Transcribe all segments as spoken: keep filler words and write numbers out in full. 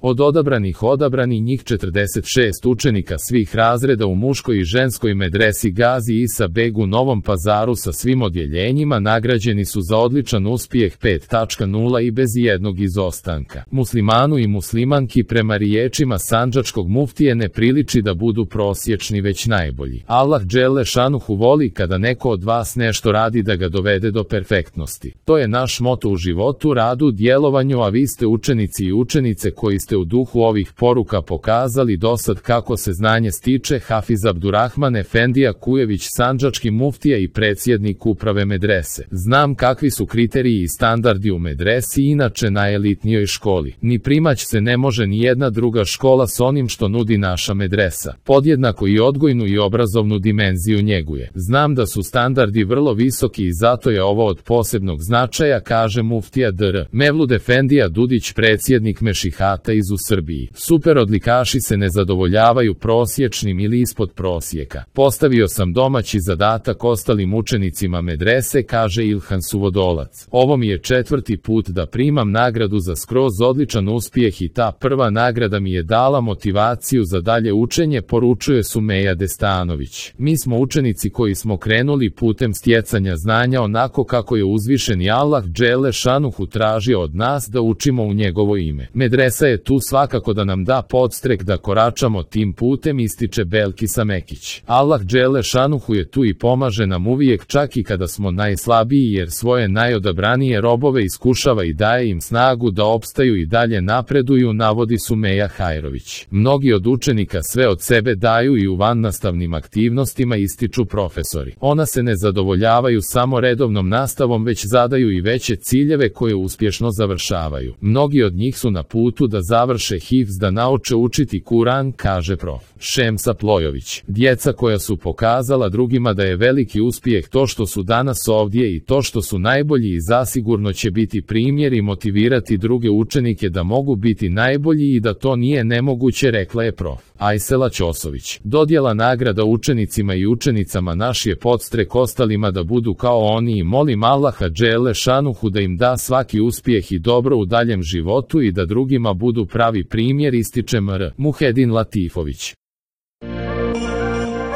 Od odabranih odabrani njih četrdeset šest učenika svih razreda u muškoj i ženskoj medresi Gazi Isa Beg u Novom Pazaru sa svim odjeljenjima nagrađeni su za odličan uspjeh pet zarez nula i bez jednog izostanka. Muslimanu i muslimanki prema riječima sandžačkog muftije ne priliči da budu prosječni već najbolji. Allah dželle šanuhu voli kada neko od vas nešto radi da ga dovede do perfektnosti. To je naš moto u životu, radu, djelovanju, a vi ste učenici i učenice koji ste u duhu ovih poruka pokazali dosad kako se znanje stiče. Hafiz Abdurrahman Efendija Kujević, sandžački muftija i predsjednik uprave medrese. Znam kakvi su kriteriji i standardi u medresi, inače na elitnijoj školi. Ni primać se ne može ni jedna druga škola s onim što nudi naša medresa. Podjednako i odgojnu i obrazovnu dimenziju njeguje. Znam da su standardi vrlo visoki i zato je ovo od posebnog značaja, kaže muftija dr. Mevlud Efendija Dudić, predsjednik Mešihata iz u Srbiji. Super odlikaši se ne zadovoljavaju prosječnim ili ispod prosjeka. Postavio sam domaći zadatak ostalim učenicima medrese, kaže Ilhan Suvodolac. Ovo mi je četvrti put da primam nagradu za skroz odličan uspjeh i ta prva nagrada mi je dala motivaciju za dalje učenje, poručuje Sumeja Destanović. Mi smo učenici koji smo krenuli putem stjecanja znanja onako kako je uzvišeni Allah dželle šanuhu tražio od nas da učimo u njegovo ime. Medresa je tu svakako da nam da podstrek da koračamo tim putem, ističe Belkisa Mekić. Allah dželle šanuhu je tu i pomaže nam uvijek, čak i kada smo najslabiji, jer svoje najodabranije robove iskušava i daje im snagu da opstaju i dalje napreduju, navodi Sumeja Hajrović. Mnogi od učenika sve od sebe daju i u vannastavnim aktivnostima, ističu profesori. Ona se ne zadovoljavaju samo redovnom nastavom, već zadaju i veće ciljeve koje uspješno završavaju. Mnogi od njih su na putu da završe hifz, da nauče učiti Kuran, kaže prof. Šemsa Plojović. Djeca koja su pokazala drugima da je veliki uspjeh to što su danas ovdje i to što su najbolji i zasigurno će biti primjer i motivirati druge učenike da mogu biti najbolji i da to nije nemoguće, rekla je prof. Ajsela Ćosović. Dodjela nagrada učenicima i učenicama naš je podstrek ostalima da budu kao oni i molim Allaha dželle šanuhu da im da svaki uspjeh i dobro u daljem životu i da drugima budu pravi primjer, ističe mr. Muhedin Latifović.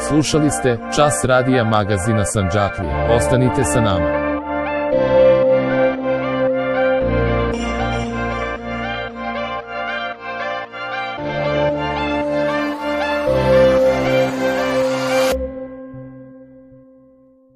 Slušali ste Čas radija magazina Sandžaklija. Ostanite sa nama.